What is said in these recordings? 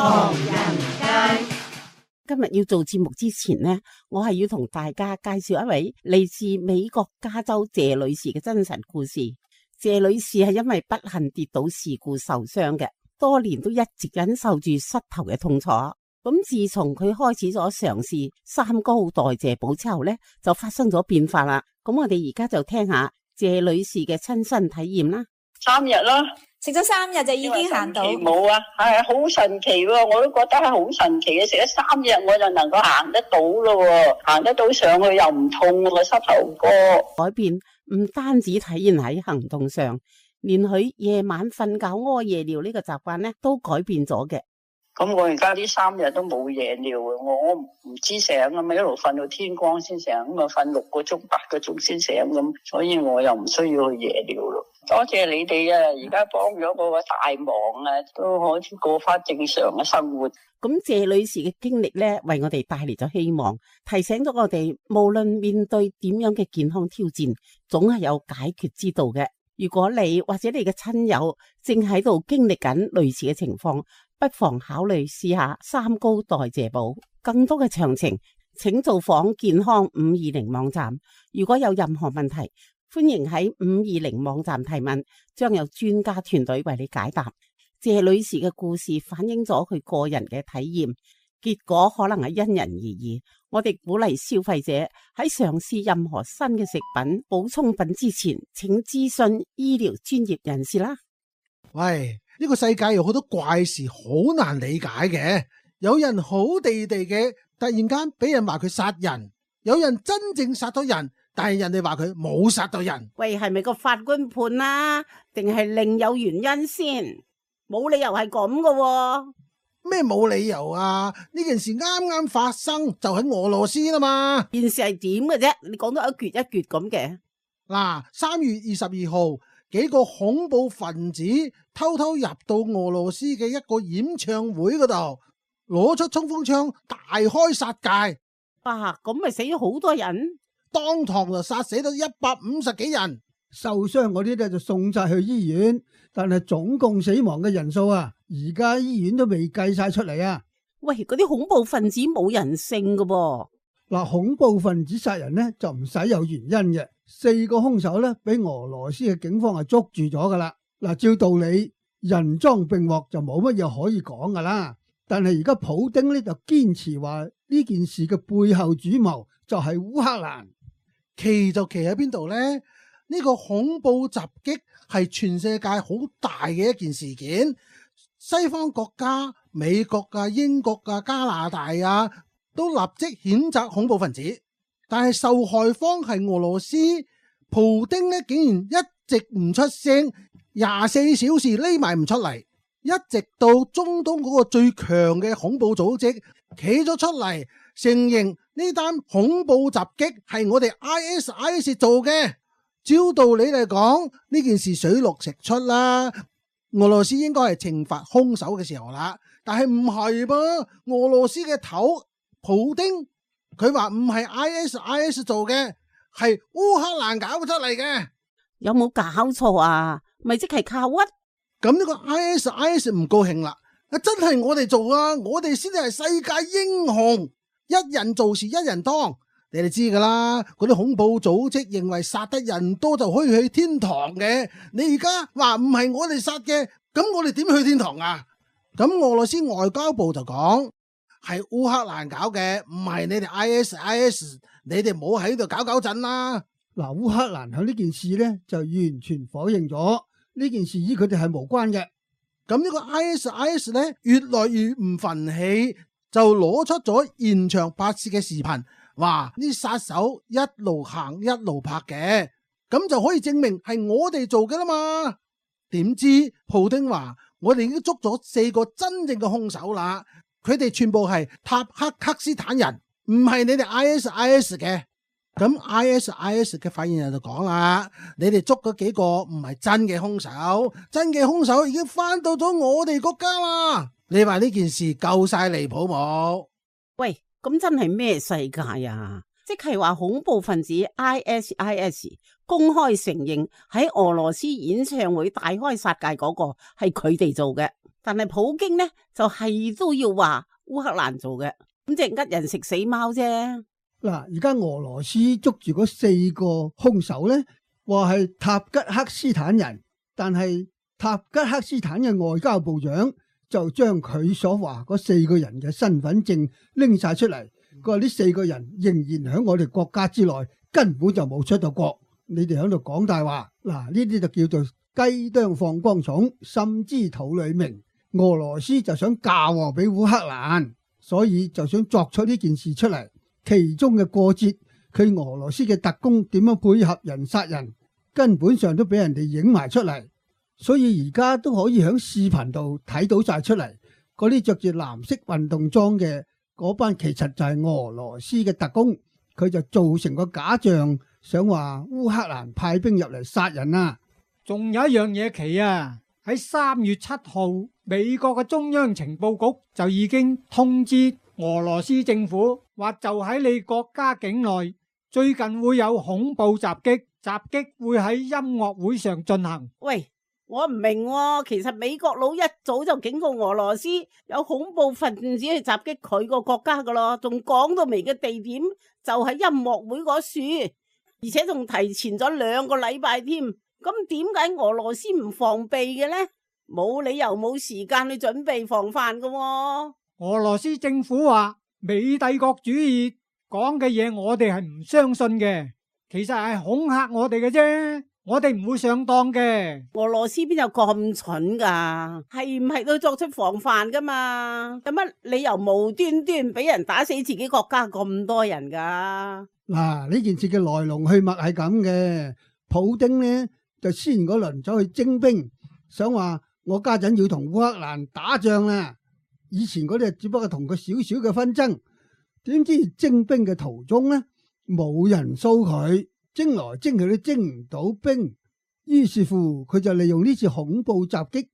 唐人街。今日要做節目之前呢，我係要同大家介紹一位嚟自美國加州謝女士嘅真實故事。謝女士係因為不幸跌倒事故受傷嘅，多年都一直忍受住膝頭嘅痛楚。咁自從佢開始咗嘗試三高代謝補之後呢，就發生咗變化啦。咁我哋而家就聽下謝女士嘅親身體驗啦。 3日啦，食咗3日就已經行到。冇啊，係好神奇喎！我都覺得係好神奇嘅。食咗3日我就能夠行得到咯，行得到上去又唔痛個膝頭哥。改變唔單止體現喺行動上，連佢夜晚瞓覺屙夜尿呢個習慣咧都改變咗嘅。咁我而家呢3日都冇夜尿啊！我唔知醒啊嘛，一路瞓到天光先醒，咁啊瞓6個鐘、8個鐘先醒咁，所以我又唔需要去夜尿咯。多謝你哋啊！而家幫咗我個大忙啊，都可以過翻正常嘅生活。咁謝女士嘅經歷咧，為我哋帶嚟咗希望，提醒咗我哋，無論面對點樣嘅健康挑戰，總係有解決之道嘅。如果你或者你嘅親友正喺度經歷緊類似嘅情況，不妨考慮試下三高代謝補。更多嘅詳情，請造訪健康520網站。如果有任何問題，歡迎喺520網站提問，將有專家團隊為你解答。謝女士嘅故事反映咗佢個人嘅體驗，結果可能係因人而異。我哋鼓勵消費者喺嘗試任何新嘅食品、補充品之前，請諮詢醫療專業人士啦。喂，呢個世界有好多怪事好難理解嘅，有人好地地嘅，突然間俾人話佢殺人，有人真正殺咗人，但係人哋話佢冇殺到人。喂，係咪個法官判啊？定係另有原因先？冇理由係咁噶。咩冇理由啊？呢件事啱啱發生就喺俄羅斯啦嘛。件事係點嘅啫？你講到一橛一橛咁嘅。嗱，3月22號，幾個恐怖分子偷偷入到俄羅斯嘅一個演唱會嗰度，攞出衝鋒槍大開殺戒。哇，咁咪死咗好多人，當堂就殺死咗150幾人，受傷嗰啲咧就送晒去醫院，但係總共死亡嘅人數啊，而家醫院都未計晒出嚟啊！喂，嗰啲恐怖分子冇人性噶噃。嗱，恐怖分子殺人呢就唔使有原因嘅，4個兇手呢俾俄羅斯嘅警方係捉住咗噶啦。嗱，照道理人贓並獲就冇乜嘢可以講噶啦，但係而家普丁呢就堅持話呢件事嘅背後主謀就係烏克蘭。奇就奇喺邊度呢？呢個恐怖襲擊係全世界好大嘅一件事件，西方國家、美國啊、英國啊、加拿大啊，都立即譴責恐怖分子。但係受害方係俄羅斯，普丁呢竟然一直唔出聲，24小時匿埋唔出嚟，一直到中東嗰個最強嘅恐怖組織企咗出嚟，承認呢單恐怖襲擊係我哋 ISIS 做嘅。照道理嚟講，呢件事水落石出啦，俄羅斯應該係懲罰兇手嘅時候啦。但係唔係噃，俄羅斯嘅頭普丁佢話唔係 ISIS 做嘅，係烏克蘭搞出嚟嘅。有冇搞錯啊？咪即係靠屈？咁呢個 ISIS 唔高興啦，真係我哋做啊，我哋先至係世界英雄，一人做事一人當。你哋知噶啦，嗰啲恐怖組織認為殺得人多就可以去天堂嘅。你而家話唔係我哋殺嘅，咁我哋點去天堂啊？咁俄羅斯外交部就講係烏克蘭搞嘅，唔係你哋 ISIS， 你哋唔好喺度搞震啦。嗱，烏克蘭喺呢件事呢就完全否認咗呢件事與佢哋係無關嘅。咁呢個 ISIS 呢越來越唔忿氣，就攞出咗現場拍攝嘅視頻。哇！呢殺手一路行一路拍嘅，咁就可以證明係我哋做嘅啦嘛。點知普丁話我哋已經捉咗4個真正嘅兇手啦，佢哋全部係塔克克斯坦人，唔係你哋 ISIS 嘅。咁 ISIS 嘅發言人就講啦，你哋捉嗰幾個唔係真嘅兇手，真嘅兇手已經翻到咗我哋國家啦。你話呢件事夠晒離譜冇？喂，咁真係咩世界啊？即係話恐怖分子 ISIS 公開承認喺俄羅斯演唱會大開殺戒嗰個係佢哋做嘅。但係普京呢就係都要話烏克蘭做嘅，咁即係呃人食死貓啫。嗱，而家俄羅斯捉住嗰4個兇手呢，話係塔吉克斯坦人，但係塔吉克斯坦嘅外交部長就將佢所話嗰4個人嘅身份證拎晒出嚟，佢話呢4個人仍然喺我哋國家之內，根本就冇出到國，你哋喺度講大話。嗱，呢啲就叫做雞啄放光蟲，心知肚裏明。俄羅斯就想嫁禍俾烏克蘭，所以就想作出呢件事出嚟。其中嘅過節，佢俄羅斯嘅特工點樣配合人殺人，根本上都俾人哋影埋出嚟，所以而家都可以喺視頻度睇到晒出嚟。嗰啲着住藍色運動裝嘅嗰班，其實就係俄羅斯嘅特工，佢就做成個假象，想話烏克蘭派兵入嚟殺人啊！仲有一樣嘢奇啊！喺3月7號，美國嘅中央情報局就已經通知俄羅斯政府，話就喺你國家境內最近會有恐怖襲擊，襲擊會喺音樂會上進行。喂，我唔明喎，其實美國佬一早就警告俄羅斯有恐怖分子去襲擊佢個國家噶咯，仲講到明嘅地點就喺音樂會嗰處，而且仲提前咗2個禮拜添。咁點解俄羅斯唔防備嘅呢？冇理由冇時間去準備防範噶喎。俄羅斯政府話美帝國主義講嘅嘢我哋係唔相信嘅，其實係恐嚇我哋嘅啫，我哋唔會上當嘅。俄羅斯邊有咁蠢噶？係唔係都作出防範噶嘛？有乜理由無端端俾人打死自己國家咁多人噶？嗱，呢件事嘅來龍去脈係咁嘅，普丁呢就先嗰輪走去徵兵，想話我家陣要同烏克蘭打仗啦。以前嗰啲只不過同佢少少嘅紛爭，點知徵兵嘅途中呢，冇人騷佢，徵來徵去都徵唔到兵，於是乎佢就利用呢次恐怖襲擊，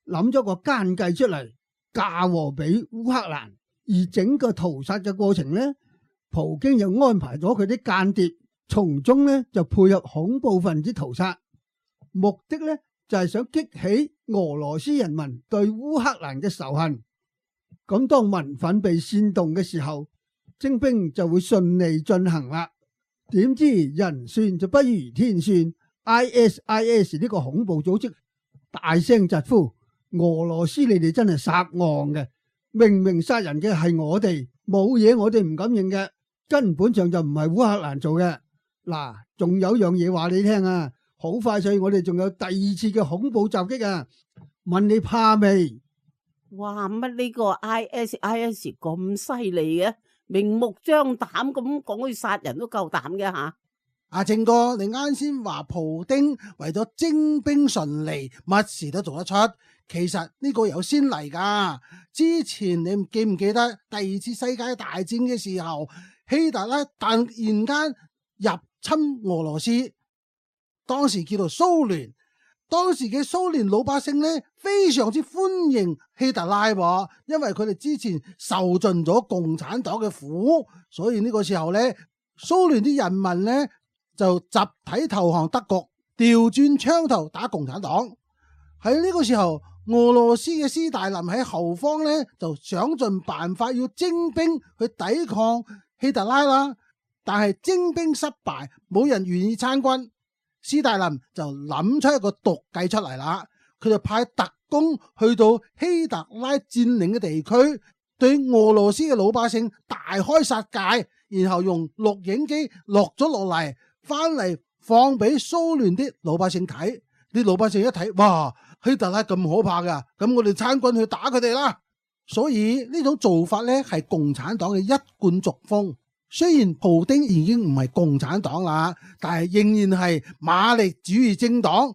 諗咗個奸計出嚟，嫁禍俾烏克蘭。而整個屠殺嘅過程呢，普京又安排咗佢啲間諜，從中呢就配合恐怖分子屠殺。目的呢就係想激起俄羅斯人民對烏克蘭嘅仇恨，咁當民憤被煽動嘅時候，徵兵就會順利進行啦。點知人算就不如天算 ，ISIS 呢個恐怖組織大聲疾呼：俄羅斯你哋真係殺戇嘅，明明殺人嘅係我哋，冇嘢我哋唔敢認嘅，根本上就唔係烏克蘭做嘅。嗱，仲有樣嘢話你聽啊！好快脆，我哋仲有第2次嘅恐怖襲擊啊！問你怕未？哇，乜呢個 ISIS 咁犀利嘅，明目張膽咁講去殺人都夠膽嘅吓？阿正哥，你啱先話普丁為咗徵兵順利，乜事都做得出。其實呢個有先例噶。之前你記唔記得第2次世界大戰嘅時候，希特勒突然間入侵俄羅斯？當時叫做蘇聯，當時嘅蘇聯老百姓呢，非常之歡迎希特拉，因為佢哋之前受盡咗共產黨嘅苦，所以呢個時候呢，蘇聯啲人民呢就集體投降德國，調轉槍頭打共產黨。喺呢個時候，俄羅斯嘅斯大林喺後方呢就想盡辦法要徵兵去抵抗希特拉啦，但係徵兵失敗，冇人願意參軍。斯大林就諗出一個毒計出嚟啦，佢就派特工去到希特拉佔領嘅地區，對俄羅斯嘅老百姓大開殺戒，然後用錄影機錄咗落嚟，翻嚟放俾蘇聯啲老百姓睇。啲老百姓一睇，哇，希特拉咁可怕噶，咁我哋參軍去打佢哋啦。所以呢種做法呢係共產黨嘅一貫作風。雖然普丁已經唔係共產黨啦，但係仍然係馬列主義政黨，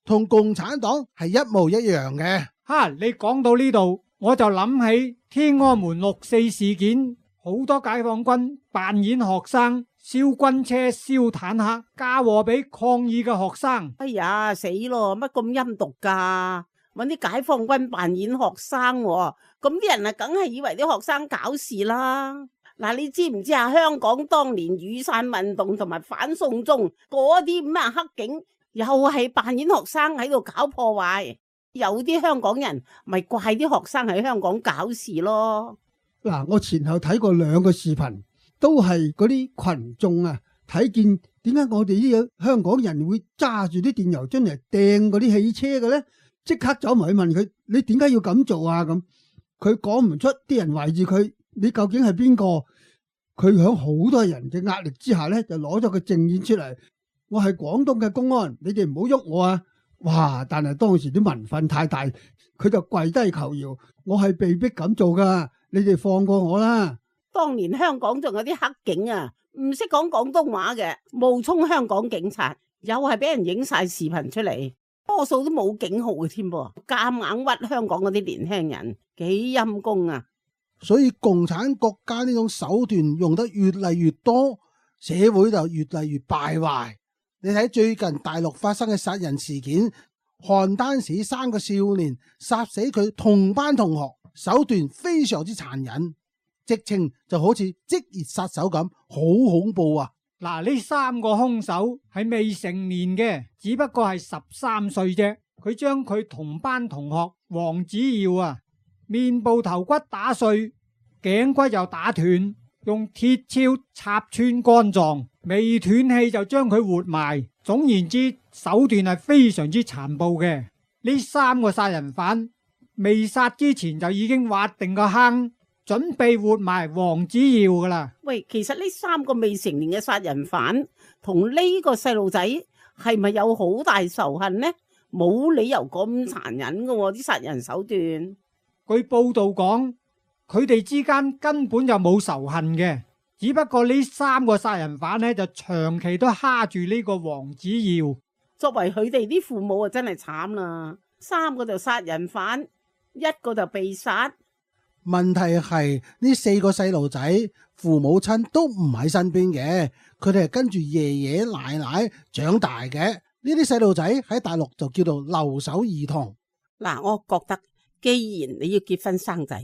同共產黨係一模一樣嘅。哈，你講到呢度，我就諗起天安門6·4事件，好多解放軍扮演學生，燒軍車、燒坦克，嫁禍俾抗議嘅學生。哎呀，死咯！乜咁陰毒噶？搵啲解放軍扮演學生，咁啲人啊，梗係以為啲學生搞事啦。嗱，你知唔知啊？香港當年雨傘運動同埋反送中嗰啲咩黑警，又係扮演學生喺度搞破壞。有啲香港人咪怪啲學生喺香港搞事咯。嗱，我前後睇過2個視頻，都係嗰啲群眾啊，睇見點解我哋呢個香港人會揸住啲電油樽嚟掟嗰啲汽車嘅咧？即刻走埋去問佢：你點解要咁做啊？咁佢講唔出，啲人圍住佢，你究竟係邊個？佢響好多人嘅壓力之下咧，就攞咗個證件出嚟。我係廣東嘅公安，你哋唔好喐我啊！哇！但係當時啲民憤太大，佢就跪低求饒。我係被逼咁做噶，你哋放過我啦！當年香港仲有啲黑警啊，唔識講廣東話嘅，冒充香港警察，又係俾人影晒視頻出嚟，多數都冇警號嘅添噃，夾硬屈香港嗰啲年輕人，幾陰功啊！所以共產國家呢種手段用得越嚟越多，社會就越嚟越敗壞。你睇最近大陸發生嘅殺人事件，邯鄲市3個少年殺死佢同班同學，手段非常之殘忍，直情就好似職業殺手咁，好恐怖啊！嗱，呢3個兇手係未成年嘅，只不過係13歲啫。佢將佢同班同學黃子耀啊，面部頭骨打碎，頸骨又打斷，用鐵鍬插穿肝臟，未斷氣就將佢活埋。總言之，手段係非常之殘暴嘅。呢3個殺人犯未殺之前就已經挖定個坑，準備活埋黃子耀噶啦。喂，其實呢3個未成年嘅殺人犯同呢個細路仔係咪有好大仇恨呢？冇理由咁殘忍噶喎，啲殺人手段。據報道講，佢哋之間根本就冇仇恨嘅，只不過呢3個殺人犯呢，就長期都蝦住呢個黃子耀。作為佢哋啲父母啊，真係慘啦！3個就殺人犯，1個就被殺。問題係呢4個細路仔父母親都唔喺身邊嘅，佢哋係跟住爺爺奶奶長大嘅。呢啲細路仔喺大陸就叫做留守兒童。嗱，我覺得既然你要結婚生仔，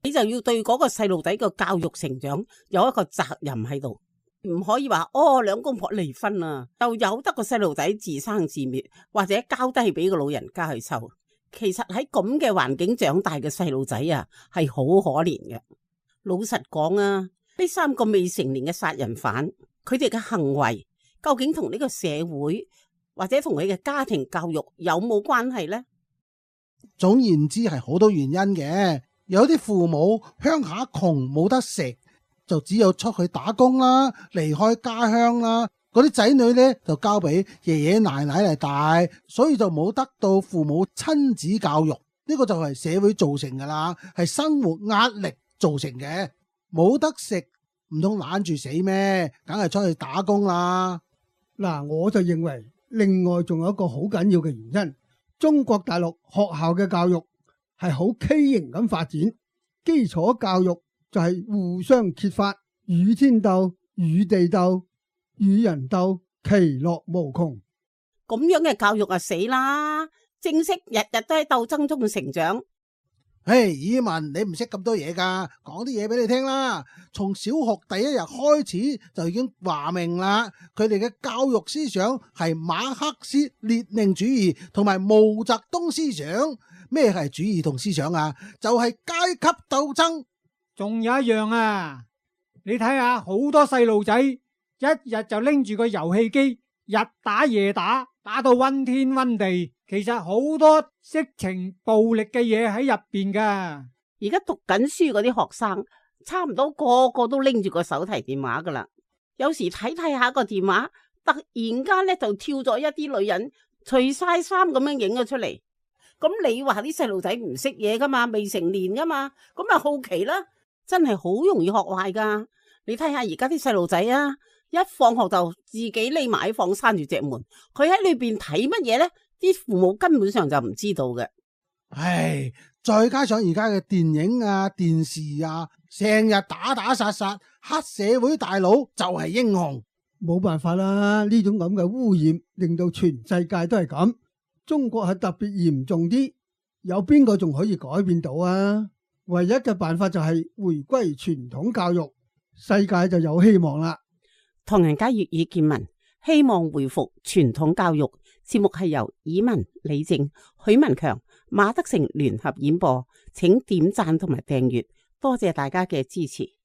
你就要對嗰個細路仔個教育成長有一個責任喺度，唔可以話2公婆離婚啊，就由得個細路仔自生自滅，或者交低俾個老人家去湊。其實喺咁嘅環境長大嘅細路仔啊，係好可憐嘅。老實講啊，呢3個未成年嘅殺人犯，佢哋嘅行為究竟同呢個社會或者同佢嘅家庭教育有冇關係呢？總言之係好多原因嘅。有啲父母鄉下窮冇得食，就只有出去打工啦，離開家鄉啦。嗰啲仔女呢，就交俾爺爺奶奶嚟帶，所以就冇得到父母親子教育。呢個就係社會造成噶啦，係生活壓力造成嘅。冇得食唔通懶住死咩？梗係出去打工啦。嗱，我就認為另外仲有一個好緊要嘅原因，中國大陸學校嘅教育係好畸形咁發展，基礎教育就係互相揭發，與天鬥、與地鬥、與人鬥，其樂無窮。咁樣嘅教育啊死啦！正式日日都喺鬥爭中成長。嘿，爾文，你唔識咁多嘢噶，講啲嘢俾你聽啦。從小學第1日開始就已經話明啦，佢哋嘅教育思想係馬克思列寧主義同埋毛澤東思想。咩係主義同思想啊？就係階級鬥爭。仲有一樣啊，你睇下好多細路仔一日就拎住個遊戲機，日打夜打，打到昏天昏地。其實好多色情暴力嘅嘢喺入邊噶。而家讀緊書嗰啲學生，差唔多個個都拎住個手提電話噶啦。有時睇下個電話，突然間咧就跳咗一啲女人除晒衫咁樣影咗出嚟。咁你話啲細路仔唔識嘢噶嘛，未成年噶嘛，咁咪好奇啦，真係好容易學壞噶。你睇下而家啲細路仔啊，一放學就自己匿埋喺房閂住隻門，佢喺裏邊睇乜嘢咧？啲父母根本上就唔知道嘅。唉，再加上而家嘅電影啊、電視啊，成日打打殺殺，黑社會大佬就係英雄。冇辦法啦，呢種咁嘅污染令到全世界都係咁，中國係特別嚴重啲。有邊個仲可以改變到啊？唯一嘅辦法就係回歸傳統教育，世界就有希望啦。唐人街粵語見聞，希望回復傳統教育。節目係由以文、李靜、許文強、馬德成聯合演播，請點讚同埋訂閱，多謝大家嘅支持。